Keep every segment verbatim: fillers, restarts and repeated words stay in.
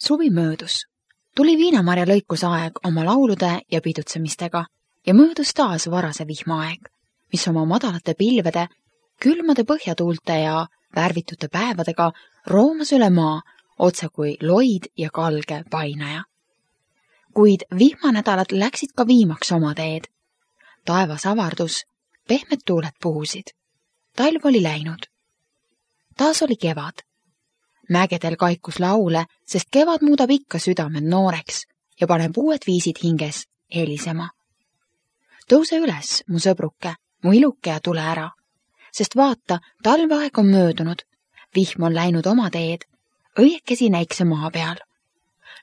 Suvi möödus. Tuli viinamarja lõikusaeg oma laulude ja pidutsemistega ja möödus taas varase vihmaaeg, mis oma madalate pilvede, külmade põhjatuulte ja värvitute päevadega roomas üle maa otse kui loid ja kalge painaja. Kuid vihmanädalad läksid ka viimaks oma teed. Taevas avardus, pehmed tuuled puhusid. Talv oli läinud. Taas oli kevad. Mägedel kaikus laule, sest kevad muudab ikka südamed nooreks ja paneb uued viisid hinges helisema. Tõuse üles, mu sõbruke, mu iluke ja tule ära, sest vaata, talveaeg on möödunud, vihm on läinud oma teed, õiekesi näikse maa peal.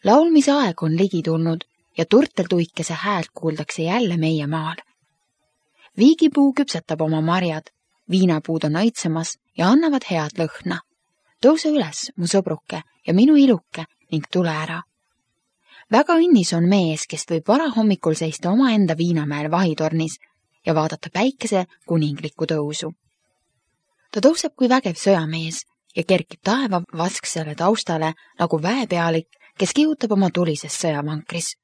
Laulmise aeg on ligi tulnud ja turtel tuikese häält kuuldakse jälle meie maal. Viigipuu küpsetab oma marjad, viinapuud on õitsemas ja annavad head lõhna. Tõuse üles, mu sõbruke ja minu iluke ning tule ära. Väga õnnis on mees, kes võib varahommikul seista omaenda viinamäel vahitornis ja vaadata päikese kuninglikku tõusu. Ta tõuseb kui vägev sõjamees ja kerkib taeva vasksele taustale nagu väepealik, kes kihutab oma tulises sõjavankris.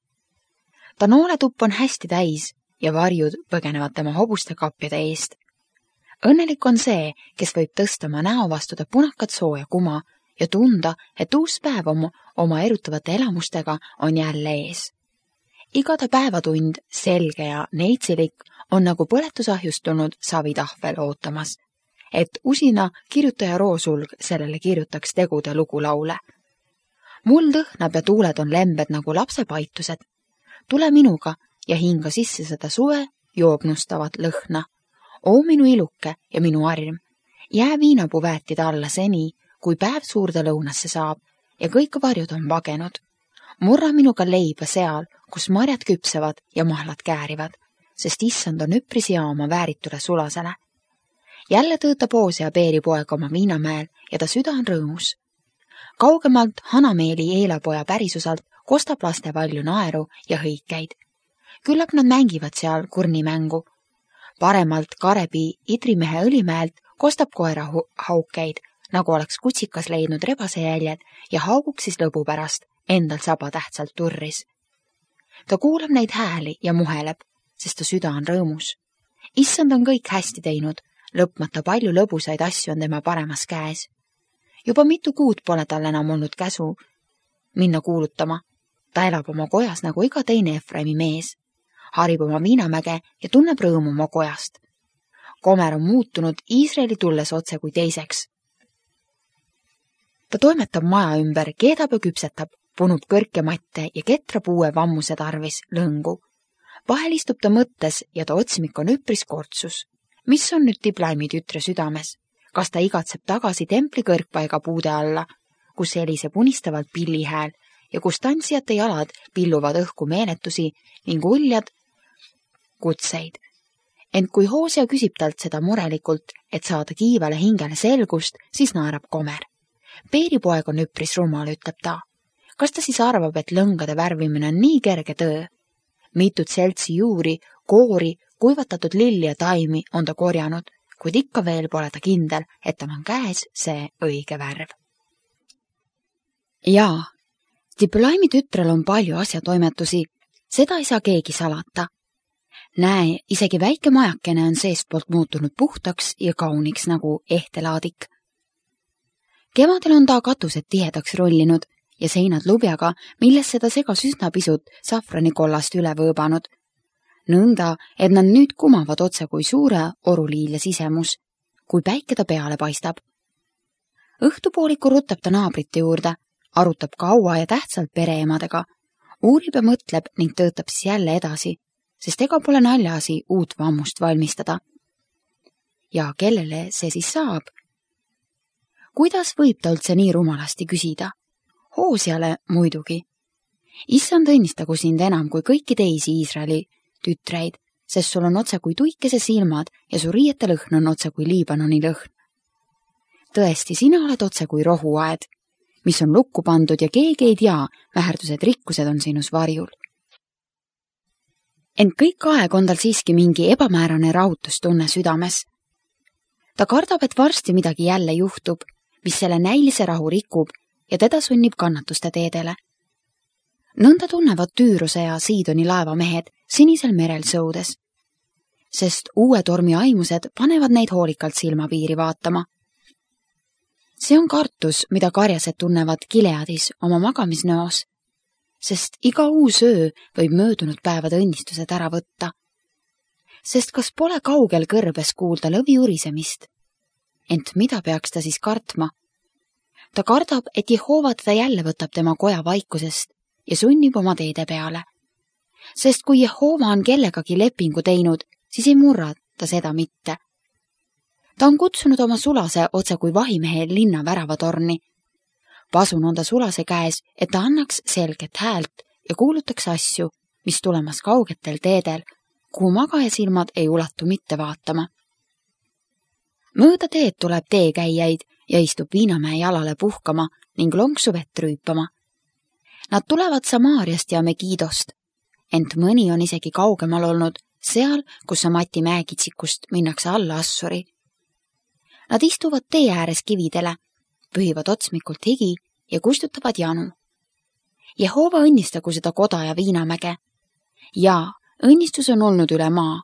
Ta nooletupp on hästi täis ja varjud põgenevad tema hobuste kapjade eest. Õnnelik on see, kes võib tõsta oma näo vastuda punakat sooja kuma ja tunda, et uus päev oma, oma erutavate elamustega on jälle ees. Igade päevatund, selge ja neitsilik, on nagu põletusahjust tulnud savitahvel ootamas, et usina kirjutaja roosulg sellele kirjutaks tegude lugulaule. Muld õhnab ja tuuled on lembed nagu lapse paitused. Tule minuga ja hinga sisse seda suve joognustavat lõhna. Oo minu iluke ja minu arm, jää viinapuu väetida alla seni, kui päev suurde lõunasse saab ja kõik varjud on vagenud. Murra minuga leiba seal, kus marjad küpsevad ja mahlad käärivad, sest issand on üpris ja oma vääritule sulasele. Jälle tõõtab Oose ja Peeripoeg oma viinamäel ja ta süda on rõõmus. Kaugemalt Hanameeli eelapoja pärisusalt kostab laste valju naeru ja hõikeid. Küllap nad mängivad seal kurnimängu. Paremalt Karepi Idrimehe õlimäelt kostab koera haukeid, nagu oleks kutsikas leidnud rebase jäljed ja hauguks siis lõbu pärast endal saba tähtsalt turris. Ta kuulab neid hääli ja muheleb, sest ta süda on rõõmus. Issand on kõik hästi teinud, lõpmata palju lõbusaid asju on tema paremas käes. Juba mitu kuud pole tal enam olnud käsu minna kuulutama. Ta elab oma kojas nagu iga teine Efraimi mees. Harib oma viinamäge ja tunneb rõõmu oma kojast. Komer on muutunud Iisraeli tulles otse kui teiseks. Ta toimetab maja ümber, keedab ja küpsetab, punub kõrkematte ja ketrab uue vammuse tarvis lõngu. Vahel istub ta mõttes ja ta otsimik on üpris kortsus. Mis on nüüd Diblaimi tütre südames? Kas ta igatseb tagasi templi kõrgpaiga puude alla, kus heliseb unistavalt pillihääl ja kus tantsijate jalad pilluvad õhku meeletusi ning uljad kutseid. Ent kui Hoosea küsib talt seda murelikult, et saada kiivale hingele selgust, siis naerab Komer. Peeripoeg on üpris rumal, ütleb ta. Kas ta siis arvab, et lõngade värvimine on nii kerge töö? Mitut seltsi juuri, koori, kuivatatud lilli ja taimi on ta korjanud, kuid ikka veel pole ta kindel, et tal on käes see õige värv. Jaa, Diblaimi tütrel on palju asjatoimetusi, seda ei saa keegi salata. Näe, isegi väike majakene on seestpoolt muutunud puhtaks ja kauniks nagu ehtelaadik. Kevadel on ta katused tihedaks rollinud ja seinad lubjaga, millesse ta segas üsna pisut safranikollast üle võõbanud. Nõnda, et nad nüüd kumavad otse kui suure oruliilja sisemus, kui päike ta peale paistab. Õhtupooliku rutab ta naabrite juurde, arutab kaua ja tähtsalt pereemadega, uurib ja mõtleb ning töötab siis jälle edasi, sest ega pole naljasi uut vammust valmistada. Ja kellele see siis saab? Kuidas võib ta üldse nii rumalasti küsida? Hooseale muidugi. Issand õnnistagu sind enam kui kõiki teisi Iisraeli tütreid, sest sul on otse kui tuikese silmad ja su riiete lõhn on otse kui Liibanoni lõhn. Tõesti, sina oled otse kui rohuaed, mis on lukku pandud ja keegi ei tea, väherdused rikkused on sinus varjul. Ent kõik aeg on tal siiski mingi ebamäärane rahutustunne südames. Ta kardab, et varsti midagi jälle juhtub, mis selle näilise rahu rikub ja teda sunnib kannatuste teedele, Nõnda tunnevad Tüüruse ja Siidoni laevamehed sinisel merel sõudes, sest uue tormi aimused panevad neid hoolikalt silmapiiri vaatama. See on kartus, mida karjased tunnevad Gileadis oma magamisnõos, sest iga uus öö võib möödunud päevade õnnistused ära võtta. Sest kas pole kaugel kõrbes kuulda lõvi urisemist? Ent mida peaks ta siis kartma? Ta kardab, et Jehova teda jälle võtab tema koja vaikusest ja sunnib oma teede peale. Sest kui Jehova on kellegagi lepingu teinud, siis ei murra ta seda mitte. Ta on kutsunud oma sulase otse kui vahimehe linna väravatorni. Pasun on ta sulase käes, et ta annaks selget häält ja kuulutaks asju, mis tulemas kaugetel teedel, kuhu magajasilmad ei ulatu mitte vaatama. Mööda teed tuleb teekäijaid ja istub Viinamäe jalale puhkama ning lonksu vett rüüpama. Nad tulevad Samaariast ja Megidost, ent mõni on isegi kaugemal olnud, seal, kus Samati mäekitsikust minnakse alla Assuri. Nad istuvad tee ääres kividele, pühivad otsmikult higi ja kustutavad janu. Jehova õnnistagu seda koda ja Viinamäge. Jaa, õnnistus on olnud üle maa,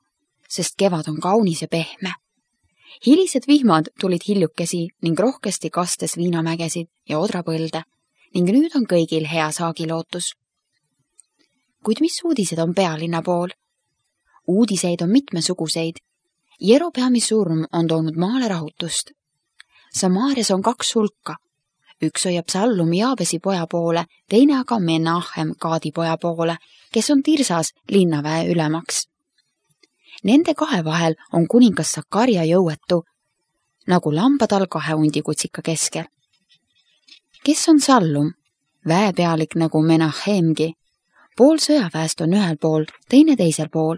sest kevad on kaunis ja pehme. Hilised vihmad tulid hiljukesi ning rohkesti kastes Viinamägesid ja odrapõlde ning nüüd on kõigil hea saagilootus. Kuid mis uudised on pealinna pool? Uudiseid on mitmesuguseid. Jerobeami surm on toonud maale rahutust. Samaarias on kaks hulka. Üks hoiab Sallum Jaabesi poja poole, teine aga Menahem Kaadi poja poole, kes on Tirsas linnaväe ülemaks. Nende kahe vahel on kuningas Sakarja jõuetu, nagu lambatal kahe hundikutsika keskel. Kes on Sallum? Väepealik nagu Menahemgi. Pool sõjaväest on ühel pool, teine teisel pool.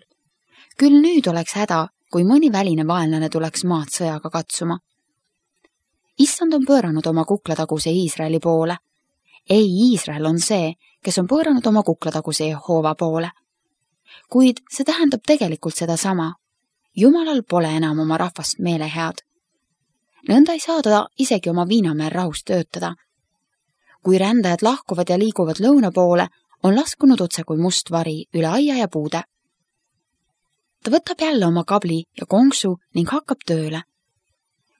Küll nüüd oleks häda, kui mõni väline vaenlane tuleks maad sõjaga katsuma. Issand on pööranud oma kuklataguse Iisraeli poole. Ei, Iisrael on see, kes on pööranud oma kuklataguse Jehova poole. Kuid see tähendab tegelikult seda sama. Jumalal pole enam oma rahvast meelehead. Nõnda ei saa ta isegi oma Viinamäel rahust töötada. Kui rändajad lahkuvad ja liiguvad lõuna poole, on laskunud otse kui must vari üle aia ja puude. Ta võtab jälle oma kabli ja konksu ning hakkab tööle.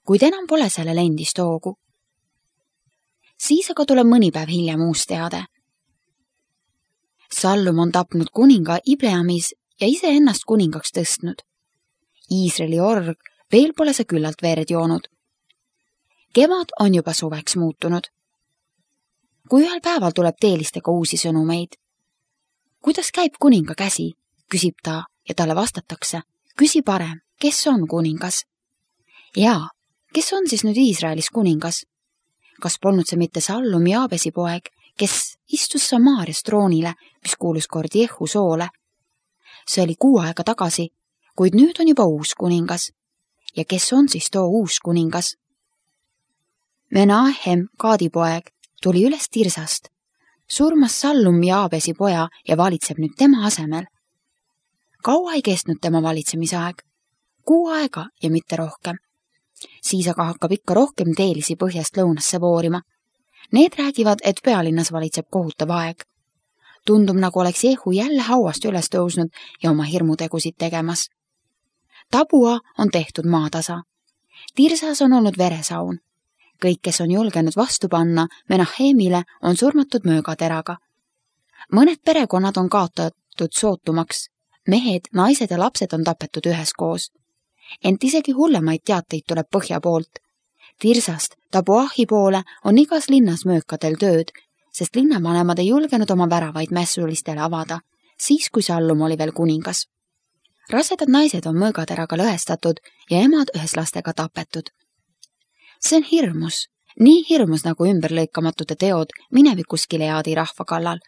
Kuid enam pole sellel endist hoogu. Siis aga tuleb mõni päev hiljem uus teade. Sallum on tapnud kuninga Ibleamis ja ise ennast kuningaks tõstnud. Iisraeli org veel pole see küllalt verd joonud. Kevad on juba suveks muutunud. Kui ühel päeval tuleb teelistega uusi sõnumeid. Kuidas käib kuninga käsi, küsib ta ja talle vastatakse. Küsi parem, kes on kuningas? Jaa, kes on siis nüüd Iisraelis kuningas? Kas polnud see mitte Sallum Jaabesi poeg, kes istus Samaarias troonile, mis kuulus kord Jehu soole? See oli kuu aega tagasi, kuid nüüd on juba uus kuningas. Ja kes on siis too uus kuningas? Menahem Kaadi poeg tuli üles Tirsast, surmas Sallum Jaabesi poja ja valitseb nüüd tema asemel. Kaua ei kestnud tema valitsemisaeg, kuu aega ja mitte rohkem. Siis aga hakkab ikka rohkem teelisi põhjast lõunasse voorima. Need räägivad, et pealinnas valitseb kohutav aeg. Tundub, nagu oleks Jehu jälle hauast üles tõusnud ja oma hirmutegusid tegemas. Tabua on tehtud maatasa. Tirsas on olnud veresaun. Kõik, kes on julgenud vastu panna Menahemile, on surmatud möögateraga. Mõned perekonnad on kaotatud sootumaks. Mehed, naised ja lapsed on tapetud üheskoos. Ent isegi hullemaid teateid tuleb põhja poolt. Tirsast Tabuahi poole on igas linnas möökadel tööd, sest linnavanemad ei julgenud oma väravaid mässulistele avada, siis kui Sallum oli veel kuningas. Rasedad naised on möögateraga lõhestatud ja emad ühes lastega tapetud. See on hirmus, nii hirmus nagu ümberlõikamatute teod minevikus Gileadi rahva kallal.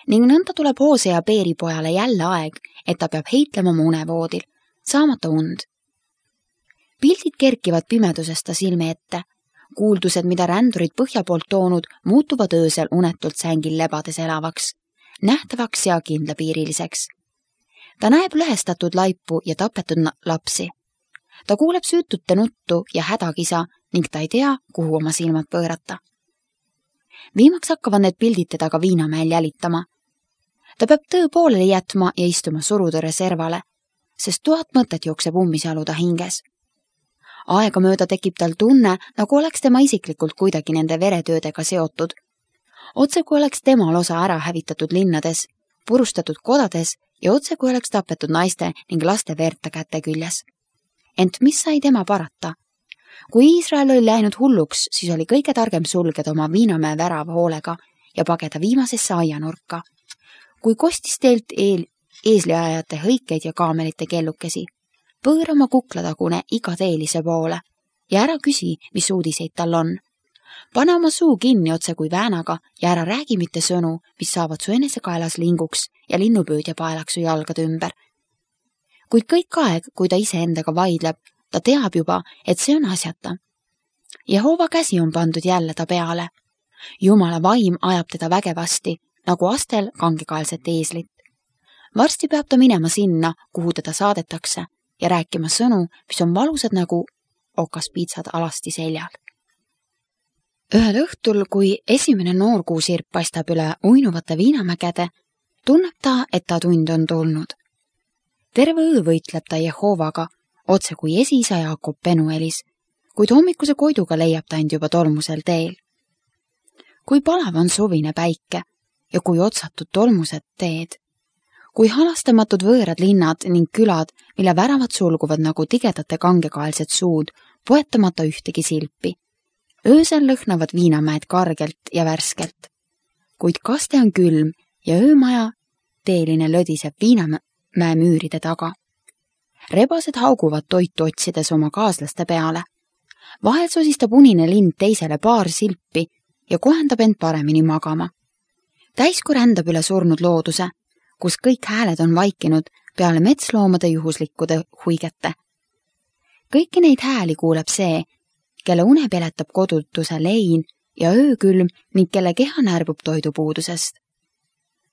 Ning nõnda tuleb Hoosea Beeri pojale jälle aeg, et ta peab heitlema oma unevoodil, saamata und. Pildid kerkivad pimedusest ta silme ette. Kuuldused, mida rändurid põhja poolt toonud, muutuvad öösel unetult sängil lebades elavaks, nähtavaks ja kindlapiiriliseks. Ta näeb lõhestatud laipu ja tapetud lapsi. Ta kuuleb süütute nuttu ja hädakisa ning ta ei tea, kuhu oma silmad pöörata. Viimaks hakkavad need pildid teda ka Viinamäel jälitama, Ta peab töö pooleli jätma ja istuma surutõrje servale, sest tuhat mõtet jookseb ummisjalu ta hinges. Aegamööda tekib tal tunne, nagu oleks tema isiklikult kuidagi nende veretöödega seotud. Otse kui oleks temal osa ära hävitatud linnades, purustatud kodades ja otse kui oleks tapetud naiste ning laste veerta käte küljes. Ent mis sai tema parata? Kui Iisrael oli läinud hulluks, siis oli kõige targem sulgeda oma Viinamäe värava hoolega ja pageda viimasesse aianurka. Kui kostis teelt eel, eesliajate hõikeid ja kaamelite kellukesi, põõra oma kuklatagune iga teelise poole ja ära küsi, mis uudiseid tal on. Pane oma suu kinni otse kui väänaga ja ära räägi mitte sõnu, mis saavad su enesekaelas linguks ja linnupüüdja paelaks su jalgade ümber. Kuid kõik aeg, kui ta ise endaga vaidleb, ta teab juba, et see on asjata. Jehova käsi on pandud jälle ta peale. Jumala vaim ajab teda vägevasti, nagu astel kangekaelset eeslit. Varsti peab ta minema sinna, kuhu teda saadetakse ja rääkima sõnu, mis on valusad nagu okaspiitsad alasti seljal. Ühel õhtul, kui esimene noorkuusirp paistab üle uinuvate Viinamägede, tunneb ta, et ta tund on tulnud. Terve öö võitleb ta Jehovaga, otse kui esiisa Jaakob Penuelis, kuid hommikuse koiduga leiab ta end juba tolmusel teel. Kui palav on suvine päike ja kui otsatud tolmused teed, kui halastamatud võõrad linnad ning külad, mille väravad sulguvad nagu tigedate kangekaelsed suud, poetamata ühtegi silpi. Öösel lõhnavad Viinamäed kargelt ja värskelt. Kuid kaste on külm ja öömaja teeline lödiseb Viinamäe müüride taga. Rebased hauguvad toitu otsides oma kaaslaste peale. Vahel sosistab unine lind teisele paar silpi ja kohendab end paremini magama. Täisku rändab üle surnud looduse, kus kõik hääled on vaikinud peale metsloomade juhuslikkude huigete. Kõiki neid hääli kuuleb see, kelle une peletab kodutuse lein ja öökülm ning kelle keha närbub toidupuudusest.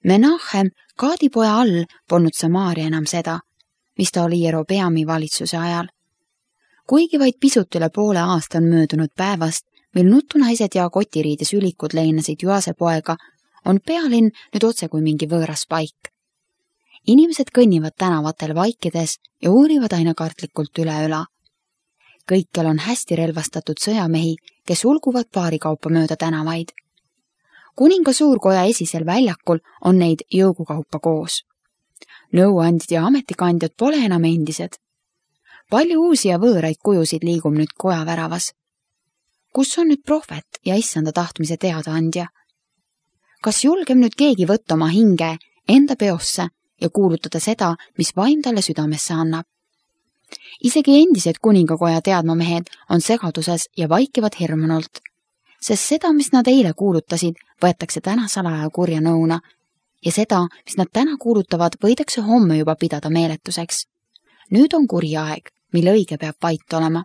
Menachem, Kaadipoja all, polnud Samaaria enam seda, mis ta oli Jerobeami valitsuse ajal. Kuigi vaid pisut üle poole aasta on möödunud päevast, mil nutunaised ja kotiriides ülikud leinasid Joase poega, on pealinn nüüd otse kui mingi võõras paik. Inimesed kõnnivad tänavatel vaikides ja uurivad aina kartlikult üle üla. Kõikjal on hästi relvastatud sõjamehi, kes ulguvad paari kaupa mööda tänavaid. Kuninga suurkoja esisel väljakul on neid jõugukaupa koos. Nõuandid ja ametikandjad pole enam endised. Palju uusi ja võõraid kujusid liigub nüüd koja väravas. Kus on nüüd prohvet ja issanda tahtmise teadaandja? Kas julgem nüüd keegi võtta oma hinge enda peosse ja kuulutada seda, mis vaim talle südamesse annab? Isegi endised kuningakoja teadmamehed on segaduses ja vaikivad hirmunult, sest seda, mis nad eile kuulutasid, võetakse täna salaja kurja nõuna ja seda, mis nad täna kuulutavad, võidakse homme juba pidada meeletuseks. Nüüd on kuri aeg, mille õige peab vait olema.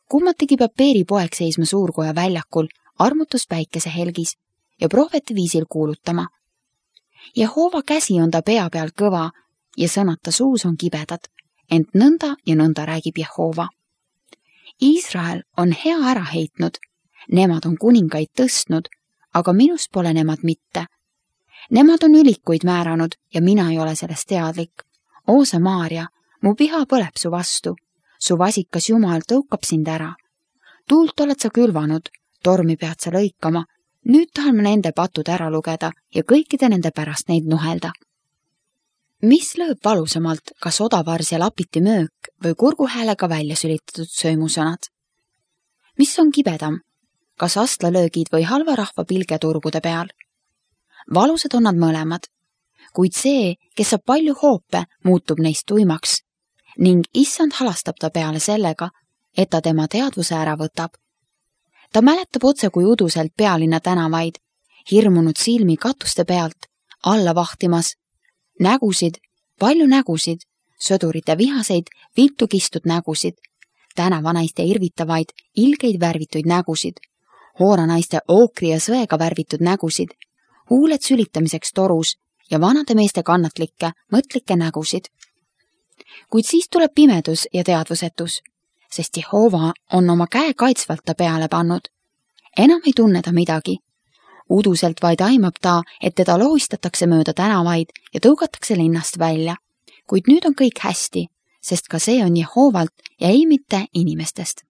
Kummatigi peab Peeri poeg seisma suurkoja väljakul armutus päikese helgis ja prohveti viisil kuulutama. Jehova käsi on ta pea peal kõva ja sõnad ta suus on kibedad, ent nõnda ja nõnda räägib Jehova. Iisrael on hea ära heitnud, nemad on kuningaid tõstnud, aga minust pole nemad mitte. Nemad on ülikuid määranud ja mina ei ole sellest teadlik. O Samaaria, mu piha põleb su vastu, su vasikas Jumal tõukab sind ära. Tuult oled sa külvanud, tormi pead sa lõikama, nüüd tahan ma nende patud ära lugeda ja kõikide nende pärast neid nuhelda. Mis lööb valusamalt, kas odavars ja lapiti möök või kurguhäälega välja sülitatud söömusõnad? Mis on kibedam, kas astlalöögid või halva rahva pilge turgude peal? Valusad on nad mõlemad, kuid see, kes saab palju hoope, muutub neist tuimaks ning issand halastab ta peale sellega, et ta tema teadvuse ära võtab. Ta mäletab otse kui uduselt pealinna tänavaid, hirmunud silmi katuste pealt, alla vahtimas, nägusid, palju nägusid, sõdurite vihaseid, viltu kistud nägusid, tänavanaiste irvitavaid, ilgeid värvituid nägusid, hooranaiste ookri ja sõega värvitud nägusid, huuled sülitamiseks torus ja vanade meeste kannatlikke, mõtlikke nägusid. Kuid siis tuleb pimedus ja teadvusetus, sest Jehova on oma käe kaitsvalt ta peale pannud. Enam ei tunne ta midagi. Uduselt vaid aimab ta, et teda lohistatakse mööda tänavaid ja tõugatakse linnast välja. Kuid nüüd on kõik hästi, sest ka see on Jehoovalt ja ei mitte inimestest.